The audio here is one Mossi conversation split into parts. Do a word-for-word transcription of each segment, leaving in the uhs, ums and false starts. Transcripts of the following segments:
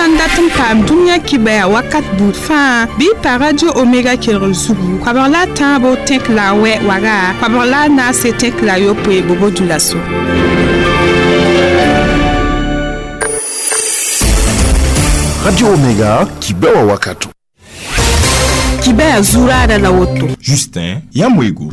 sãn dat n paam dũniyã kibɛa wakat buud fãa bɩ pa Radio Omega kelgr zugu koabg la a tãabo tẽk la a wɛ waga koabg la a naase tẽk la a yopoe bobo dulaso. Radio Omega kibɛwa wakato. Kibɛa zuraada la woto. Justin Yamwego.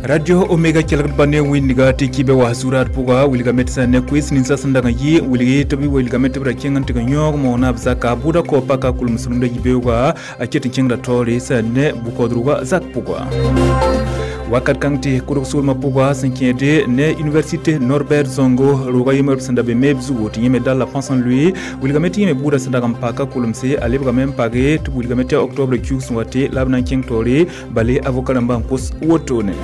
Radio Omega kelgd ba ne wĩndiga tɩ kibɛ wa zuraad pʋga wilgame tɩ sã ne koees ninsã sẽn dag n yɩ wilgi tɩ b wilgame tɩ b ra kẽng n tɩg n yõog moonã b zaka bʋʋda kao paka kulems rũndã yibeooga a ket n kẽngda taoore sã ne bʋ-kaoodrugã zak pʋga. Wakat kãng tɩ kʋdg soolmã pʋga sẽn kẽede ne université Norbert Zongo roogã yembr b sẽn da be meeb zugu tɩ yẽme dalla pãs n lʋɩ wilgame tɩ yẽme bʋʋda sẽn dag n paka kulemse a lebgame n page tɩ b wilgame tɩ octobre kiug sẽn wa tɩ la b na n kẽng taoore bale avocat rãmbã n kos wotone.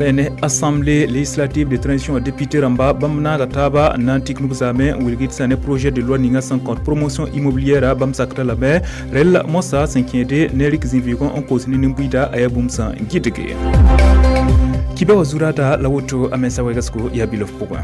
Sẽne assemblée législative de transition député rãmba bãmb naaga taaba n na n tik nug zaame n wilg tɩ sã ne projet de loi ninga sẽn kõt promotion immobilière bãmb sakda lame rel mosa sẽn kẽede ne rɩk zĩ-vɩʋgẽ n koos ne nin-buiida a yaa bũmb sẽn gɩdge kibã wa zuraada la woto a mensa wɛgsgo yaa bilof pʋgẽ.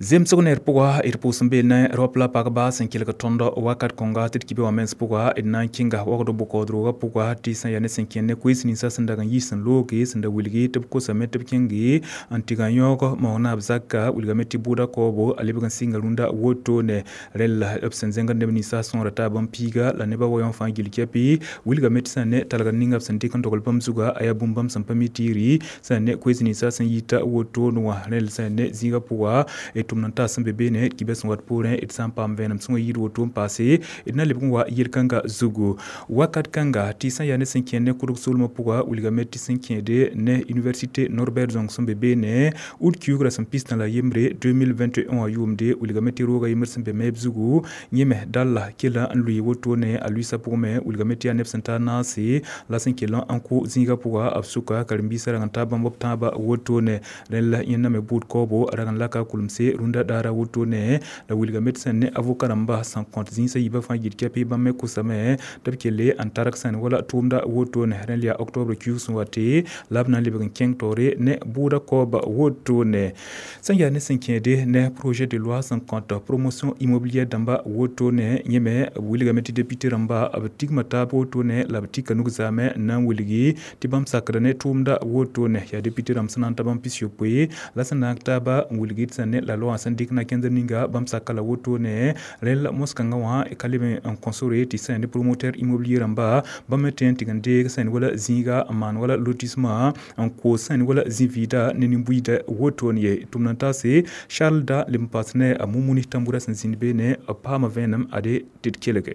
Zemsg ner pʋga d pʋʋs n beel ne raop la pagba sẽn kelg tõnd wakat kõnga tɩ d kibã wã mens pʋga d na n kẽnga wagd bʋ-kaoodrogã pʋga tɩ sẽn yaa ne sẽn kẽnd ne koees ninsã sẽn dag n yɩ sẽn looge sẽn da wilgi tɩ b kosame tɩ b kẽnge n tɩg n yõog maoonã b zaka wilgame tɩ bʋʋda kaoobo a lebg n sɩnga rũndã wotone rẽlla b sẽn zẽngd neb ninsã sõora taab n piiga la nebã wa yõ fãa gill kɛpɩ wilgame tɩ sã ne talgr ninga b sẽn dɩk n dogl bãmb zuga a yaa bũmb bãmb sẽn pa mi tiiri sã ne koees ninsã sẽn yita wotone wã rẽll sã ne zĩigã pʋga tʋm n taa sẽn be beene kibɛ sẽn wat poorẽ d sã n paam vẽenem sõnga yɩɩd woto n paase d na lebg n wa yel-kãngã zugu wakat kãnga tɩ sã yaa ne sẽn kẽnd ne kʋdg soolmã pʋga wilgame tɩ sẽn kẽede ne université Norbert Zongo sẽn be beene ud kiugrã sẽn pistã la yembre deux mille vingt et un wã yʋʋmde wilgame tɩ roogã yembr sẽn be meeb zugu yẽme dalla kela n lʋɩ wotone a lʋɩɩsã pʋgme wilgame tɩ yaa neb sẽn tar naase la sẽn kell n kʋ zĩigã pʋga b sʋka karen-biisã rag n taa bãmb b tãabã wotone rẽn la yẽnda me buud kaoobo a rag n laka kulemse rũndã daara wotone la wilgame tɩ sẽn ne avocat rãmba sẽn kõt zĩisã yiibã fãa yit kɛpɩ bãmb me kosame tɩ b kelle n targ sẽn wala tʋʋmda wotone rẽnd yaa octobre kiug sẽn wa tɩ la b na n lebg n kẽng taoore ne bʋʋda kaooba wotone sẽn yaa ne sẽn kẽede ne projet de loi sẽn kõt promotion immobilière dãmba wotone yẽme b wilgame tɩ député rãmba b tigma taab wotone la b tika nug zaame n na n wilgi tɩ bãmb sakda ne tʋʋmda wotone yaa député rãmb sẽn na n ta bãmb pis-yopoe la sẽn naag taaba n wilgi tɩ sẽn ne la loi sẽn dɩk na kẽndr ninga bãmb saka la wotone rẽl mos-kãngã wã ka leb n kõ sore tɩ sẽn ne promoteur immobilier rãmba bãmb me tõe n tɩg n deeg sẽn wala zĩiga n maan wala lotissement n koos sẽn wala zĩ-vɩɩda ne nin-buiida wotone ye tʋmd n taase Charles da leb n paas ne a Mumuni Tambura sẽn zĩnd beene b paama vẽenem ade tɩ d kelge.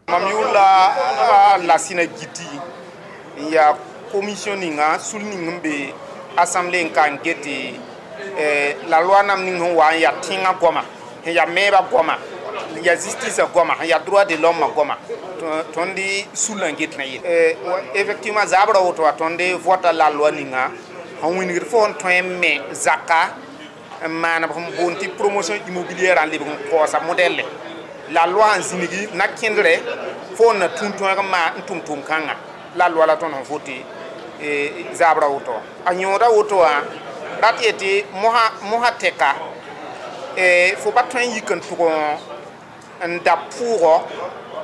Mam yʋʋr la Lasina Giti n yaa commission ninga sul ning n be assemblée n ka n get la loi nam ning sẽn wa n yaa tẽngã goama sẽn yaa meebã goama n yaa justice goama sẽn yaa droit de l'homme goama tõnd sul n get na yel effectivement zabrã woto wa tõnd vota la loi ninga sẽn wĩnigd fo sẽn tõe n me zaka n maan b sẽn boond tɩ promotion immobilière n lebg n kaoosa modɛlle la loi n zĩnigi na kẽndrɛ fo n na tũn tõeg n maan n tʋm tʋʋm kãnga la loi la tõnd sẽn vote zabrã woto wã a yõoda woto wã rat yetɩ mosã tɛka fo pa tõe n yik n tʋg n da pʋʋgɔ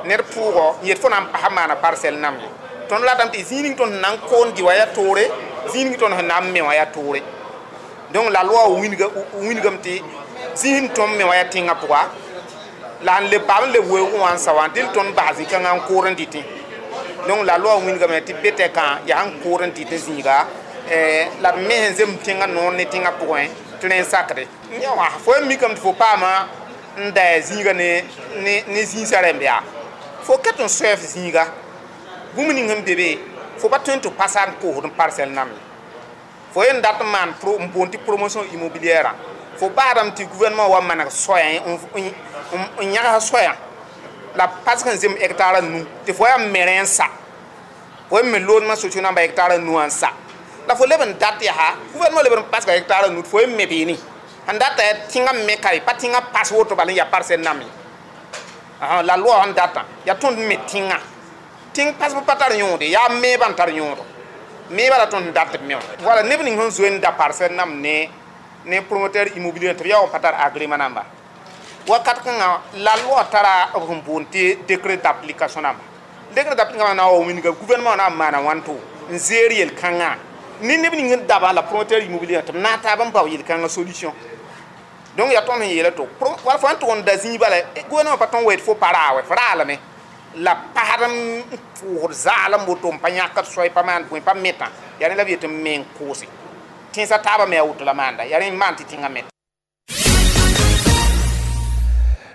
ned pʋʋgɔ n yet fo na n pasa maana parcelle nam ye tõnd ratame tɩ zĩig ning tõnd sẽn na n koond dɩ wã yaa toore zĩig ning tõnd sẽn na n me wã yaa toore donc la loi wĩnigame tɩ zĩig sẽn tõnd me wã yaa tẽngã pʋga la n leb paam n leb weoogẽ wã n sa wã dẽl tõnd bas zĩ-kãngã n kood n dɩtẽ donc la loi wĩnigame tɩ be tɛkã yaa sẽn kood n dɩtẽ zĩiga la d me sẽn zemb tẽngã noor ne tẽngã pʋgẽ tɩ rẽ n sakde wã fo n mikame tɩ fo paama n da zĩiga ne ne zĩisã rẽmb yaa fo ket n soɛf zĩiga bũmb ning sẽn be be fo pa tõe n tɩ pasa n koosd n parcelle nam ye fo yen dat n maan n boond tɩ promotion immobilière fo baadame tɩ gouvernement wa maneg soɛɛ n yãgs soɛã la pasg n zemb hectare nu tɩ fo yaa me rẽ n sa fo yen me logement sociaux namba hectare nu wã n sa la fo leb n dat yaa gouvernement leb n pasga hectare nu tɩ fo yen me beene sẽn data yaa tẽngã me ka ye pa tẽngã pas woto bala n yaa parcelle nam ye la loi sẽn datã yaa tõnd me tẽngã tẽng pasb pa tar yõode yaa meebã n tar yõodo Me bala tõnd dat b me wã wala neb ning sẽn zoe n da parcelle nam ne ne promoteur immobilier tɩ b yaa wa pa tar agrément namba wakat kãngã la loi tara b sẽn boond tɩ décret d'application namba décret d'application na wa wilga gouvernement na n maana wãnto n zeer yel-kãngã ne neb ning n dabã la promoteur immobilier tɩ b na n taab n bao yel-kãngã solution donc yaa tõnd sẽn yeela to wala fo sãn tʋg n da zĩig bala gouvernement pa tõnd wa yet fo pa raa wɛ f raalame la pasd n pʋʋsd zaalem woto n pa yãkd soay pa maan bõe pa metã yaa rẽ la b yet n me n koose tẽnsã taabã me a woto la maanda yaa rẽ n maan tɩ tẽngã met.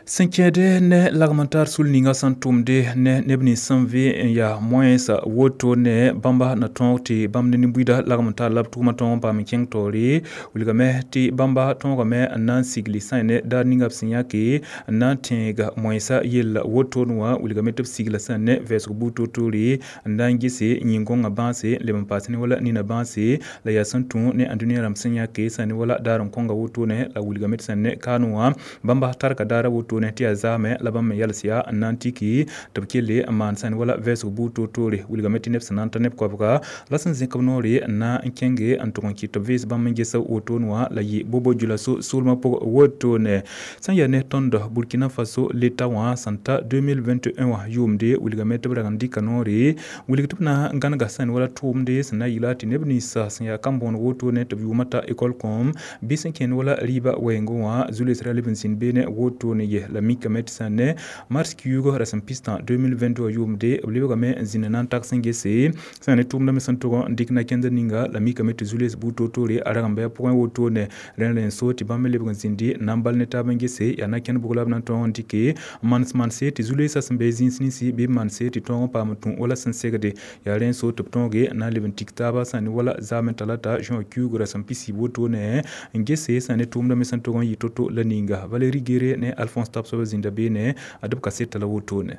Sẽn kẽede ne lagm n tar sul ninga sẽn tʋmde ne neb nins sẽn vɩ n yaa moɛɛsã woto ne bãmba na tõog tɩ bãmb ne nin-buiida lagm n tar la b tʋʋmã tõog n paam n kẽng taoore wilgame tɩ bãmba tõogame n na n sigli sã ne daar ninga b sẽn yãke n na n tẽega moɛɛsã yella wotone wã wilgame tɩ b sigla sã ne vɛɛsg buud toor-toore n na n gese yĩn-gõngã bãase n leb n paas ne wala nina bãase la yaa sẽn tũ ne ãndũniyã rãmb sẽn yãke sã ne wala daar n kõnga wotone la wilgame tɩ sã ne kaanẽ wã bãmba tarka daara woto tɩ yaa zaame la bãmb me yals yaa n na n tiki tɩ b kelle n maan sãn wala vɛɛsg buud toor-toore wilgame tɩ neb sẽn na n ta neb koabga la sẽn zẽk b noore n na n kẽnge n tʋg n kɩt tɩ b vees bãmb n ges wotone wã la yɩ bobo djulaso soolmã pʋg wotone sẽn yaa ne tõnd Burkina Faso leta wã sẽn ta deux mille vingt et un wã yʋʋmde wilgame tɩ b rag n dɩka noore wilg tɩ b na n gãnega sãn wala tʋʋmde sẽn na n yɩla tɩ neb ninsã sẽn yaa kam-bõoneg wotone tɩ b yʋʋmã ta école kõom bɩ sẽn kẽnd wala rɩɩbã wɛɛngẽ wã zu-loees ra leb n zĩnd beene wotone ye la mikame tɩ sã ne mars kiuug rasem pistã deux mille vingt-deux yʋʋmde b lebgame n zĩnd na n tag sẽn gese sã ne tʋʋmdame sẽn tʋg n dɩk na-kẽndr ninga la mikame tɩ zu-loees buud toor-toore a rag n bɩ a pʋgẽ wotone rẽn rẽn so tɩ bãmb me lebg n zĩndi n na n bal ne taab n gese yaa na-kẽnd bʋg la b na n tõog n dɩke n manes manse tɩ zu-loeesã sẽn be zĩis ninsi bɩ b manse tɩ tõog n paam n tũ wala sẽn segde yaa rẽn so tɩ b tõoge n na n leb n tik taaba sã ne wala zaame talata juin kiuug rasem pisi wotone n gese sã ne tʋʋmdame sẽn tʋg n yɩ to-to la ninga Valérie Guéré ne Alphonse Tapsoba zĩnda beene a d b kaseta la wotone.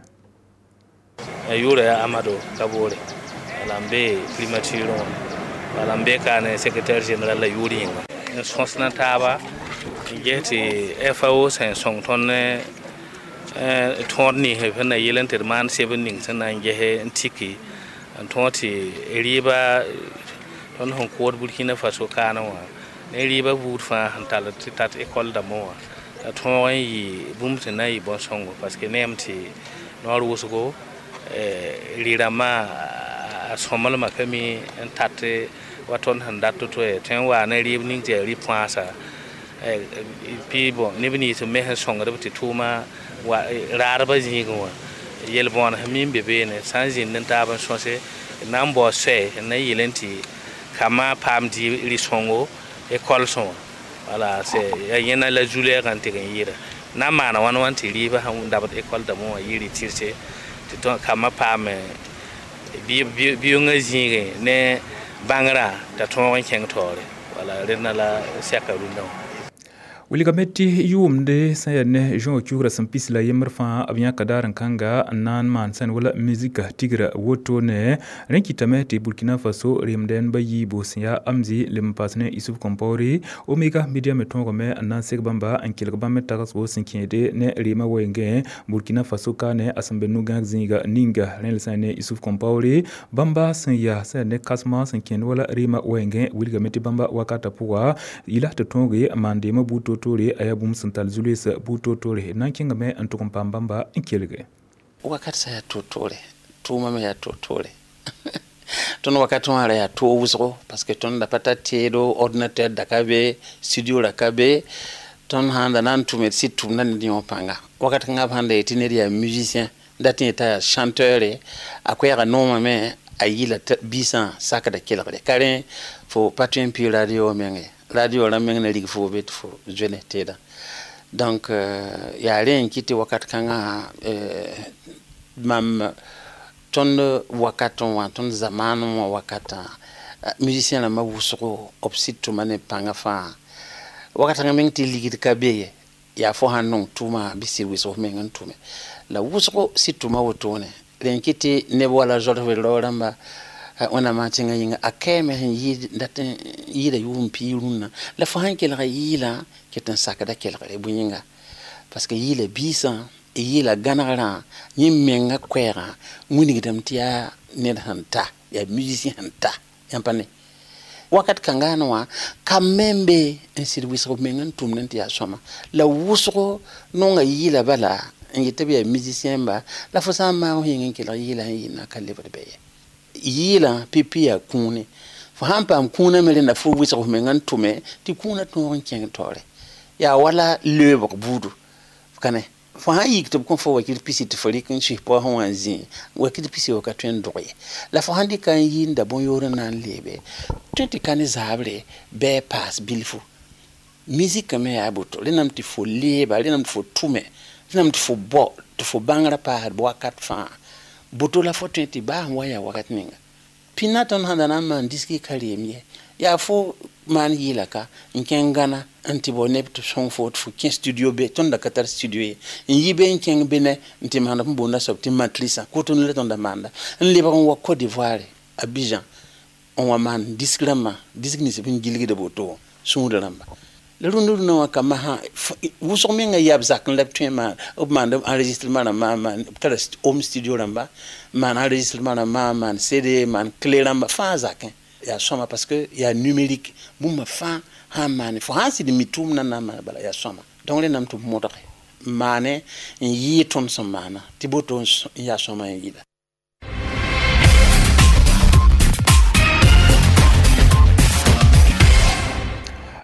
Yʋʋra yaa Amado Kabore wala n be primature wã wala n be kaane secrétaire général la yʋʋr yĩnga n sõsna taaba n ges tɩ F A O sẽn sõng tõnd ne tõod ninsb sẽn na yel n tɩ d maan sebr ning sẽn na n ges n tiki n tõog tɩ rɩɩba tõnd sẽn kood Burkina Faso kaanẽ wã ne rɩɩba buud fãa sẽn tall tɩ tat école dãmbã wã la tõog n yɩ bũmb sẽn na n yɩ bõn-sõngo parce que neem tɩ noor wʋsgo rɩ-rãmbã a sõmblmã ka mi n tat wa tõnd sẽn dat to-to ye tõe n waa ne rɩɩb ning tɩ yaa rɩ-põasa pɩ bõ neb nins me sẽn sõngd b tɩ tʋʋma raadbã zĩigẽ wã yel-bõan sẽn mi n be beene sã n zĩnd n taab n sõse na n bao soɛ n na n yɩl n tɩ kambã paam rɩ-sõngo école sõ wã wala c'est yẽna la zu-lɛɛgã n tɩg n yɩɩda na n maana wãn wãn tɩ rɩɩbã sẽn dabd école dãmbã wã yɩ rɩ-tɩrse tɩ kambã paam bi-yongã zĩigẽ ne bãngrã t'a tõog n kẽng taoore wala rẽnda la sɛka rũndã wã. Wilgame tɩ yʋʋmde sẽn yaa ne juin kiuug rasem pis la yembr fãa b yãka daar n kãnga n na n maan sẽn wala muzika tigra wotone rẽ kɩtame tɩ Burkina Faso remdɛn ba yiibu sẽn yaa Amzi leb n paas ne Isuf Compaoré Omega Media me tõogame n na n seg bãmba n kelg bãmb me tagsgo sẽn kẽede ne reemã wɛɛngẽ Burkina Faso kaane a sẽn be nu-gãag zĩiga ninga rẽ la sã ne Isuf Compaoré bãmba sẽn yaa sẽn yaa ne kãsmã sẽn kẽnd wala reemã wɛɛngẽ wilgame tɩ bãmba wakatã pʋga yɩla tɩ tõoge n maan deemã buud toor-toore a yaa bũmb sẽn tall zu-loees buud toor-toore na n kẽngame n tʋg n paam bãmba n kelge. Wakat sã yaa toor-toore tʋʋmã me yaa toor-toore tõnd wakat wã ra yaa toog wʋsgo parce que tõnd da pa tar teedo ordinateur da ka be studio ra ka be tõnd sãn da na n tʋme d sɩd tʋmda ned yõ pãnga wakat kãngã b sãn da yetɩ ned yaa musicien dat yẽ t'a yaa chanteur a koɛɛga noomame a yɩla biisã sakda kelgre ka rẽ fo pa tõe n pɩ radio meng ye radio rãmb meng na rig fo be tɩ fo zoe ne teedã donc yaa rẽ n kɩt tɩ wakat kãngã mam tõnd wakat wã tõnd zamaan wã wakatã musicien rãmbã wʋsgo b sɩd tʋma ne pãngã fãa wakat kãngã meng tɩ ligd ka be ye yaa fo sãn nong tʋʋma bɩ sɩd wɩsg f meng n tʋme la wʋsgo sɩd tʋma wotone rẽ n kɩt tɩ neb wala zod rao rãmba wẽnnaamã tẽngã yĩnga a kaame sẽn yɩɩd dat n yɩɩda yʋʋm piig rũnnã la fo sãn kelga yɩɩlã ket n sakda kelgre bõe yĩnga parce que yɩɩla biisã yɩɩla gãnegrã yẽ menga koɛɛgã wilgdame tɩ yaa ned sẽn ta yaa musicien sẽn ta Yãmb pa ne wakat kãngã wã ka membe n sɩd wɩsg b meng n tʋmd n tɩ yaa sõma la wʋsgo nonga yɩɩla bala n yet tɩ b yaa musicien ba la fo sã n maag f yĩng n kelg yɩɩla sẽn yɩ na ka lebd bɛ ye yɩɩlã pipi yaa kũune fo sãn paam kũunã me rẽnda fo wɩsg f meng n tʋme tɩ kũunã tõog n kẽng taoore yaa wala leoobg buudu ka ne fo sãn yik tɩ b kõ fo wakɩr pisi tɩ fo rɩk n sũs paoosẽ wã n zĩ wakɩr pisi wa ka tõe n dog ye la fo sãn dɩka n yɩɩnda bõn-yoor n na n leebe tõe tɩ ka ne zaabre bɩ a paas bilfu musika me yaa boto rẽndame tɩ fo leeba rẽndame tɩ fo tʋme rẽndame tɩ fo bao tɩ fo bãngrã paasd wakat fãa boto la fo tõe tɩ baa sẽn wa yaa wakat ninga pĩnda tõnd sẽn da na n maan diski ka reem ye yaa fo maan yɩɩla ka n kẽng Gana n tɩ bao neb tɩ sõng fo tɩ fo kẽ studio be tõnd da ka tar studio ye n yi be n kẽng be ne n tɩ maanda b boonda soab tɩ matricã Cotonou la tõnd da maanda n lebg n wa Côte d'Ivoire Abidjan n wa maan disk rãmbã disk nins b sẽn gilgda woto sũurã rãmba la rũndã rũndã wã ka masã wʋsg menga yaa b zak n la b tõe n maan b maand enregistrement rãmbã maan b tara home studio rãmba maan enregistrement rãmbã maan C D maan clé rãmba fãa zakẽ yaa sõma parce que yaa numérique bũmba fãa sãn maane fo sãn sɩd mi tʋʋmdã na n maan bala yaa sõma donc rẽndame tɩ b modge n maane n yɩɩ tõnd sẽn maana tɩ boto n yaa sõma n yɩɩda.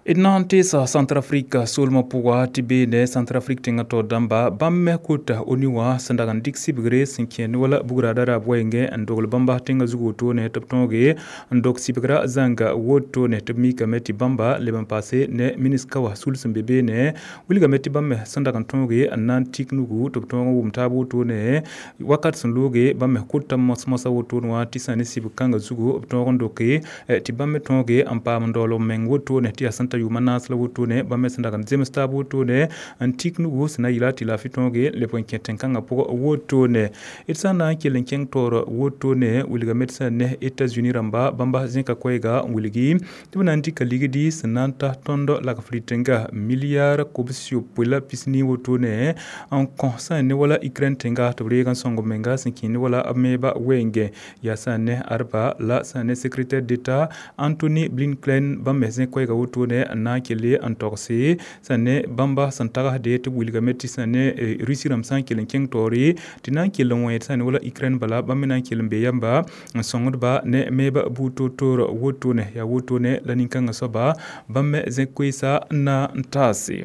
D na n teesa Centrafrique soolmã pʋga tɩ beene Centrafrique tẽngã taoor dãmba bãmb me kota ONU wã sẽn dag n dɩk sibgre sẽn kẽ ne wala bugra daraab wɛɛngẽ n dogl bãmba tẽngã zug wotone tɩ b tõoge n dog sibgra zãnga wotone tɩ b mikame tɩ bãmba leb n paase ne miniska wã sul sẽn be beene wilgame tɩ bãmb me sẽn dag n tõoge n na n tik nugu tɩ b tõog n wʋm taab wotone wakat sẽn looge bãmb me kota mos-mosã wotone wã tɩ sã ne sibg kãngã zugu b tõog n doke tɩ bãmb me tõoge n paam n daool b meng wotone tɩ yaa sẽn ta yʋʋma naas la wotone bãmb me sẽn dag n zems taab wotone n tik nugu sẽn na yɩla tɩ laafɩ tõoge leb n kẽ tẽn-kãngã pʋgã wotone d sã n na n kell n kẽng taoor wotone wilgame tɩ sã ne États-Unis rãmba bãmba zẽka koɛɛga n wilgi tɩ b na n dɩka ligdi sẽn na n ta tõnd lagfr tẽnga milliard kobs-yopoe la pis-nii wotone n kõ sã n ne wala Ukraine tẽnga tɩ b reeg n sõng b menga sẽn kẽ ne wala b meeba wɛɛngẽ yaa sã n ne arba la sã n ne secrétaire d'État Anthony Blinken bãmb me zẽ koɛɛga wotone n na n kelle n togse sã ne bãmba sẽn tagsde tɩ b wilgame tɩ sã ne Russie rãmb sã n kell n kẽng taoore tɩ na n kell n wẽed sã ne wala Ukraine bala bãmb me na n kell n be yamba n sõngdba ne meeba buud toor-toor wotone yaa wotone la nin-kãngã soaba bãmb me zẽ koeesa n na n taase.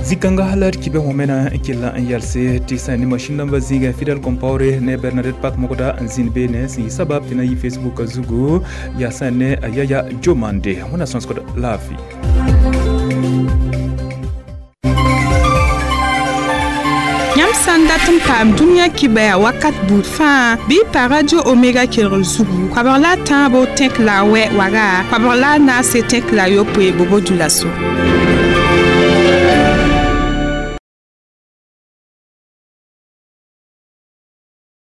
Zikãngã la d kibẽ wãmena n kell n yalse tɩ sã ne masĩn dãmbã zĩigẽ Fidel Compaoré ne Bernadette Pak Mogda n zĩnd beene sẽn yɩ sabab tɩ na yɩ Facebook zugu yaa sã ne a Yaya Jomande wẽnna sõsgd laafɩ. Yãmb sã n dat n paam dũniyã kibaya wakat buud fãa bɩ pa Radio Omega kelgr zugu koabg la a tãabo tẽk la a wɛ waga koabg la a naase tẽk la a yopoe bobo dulaso.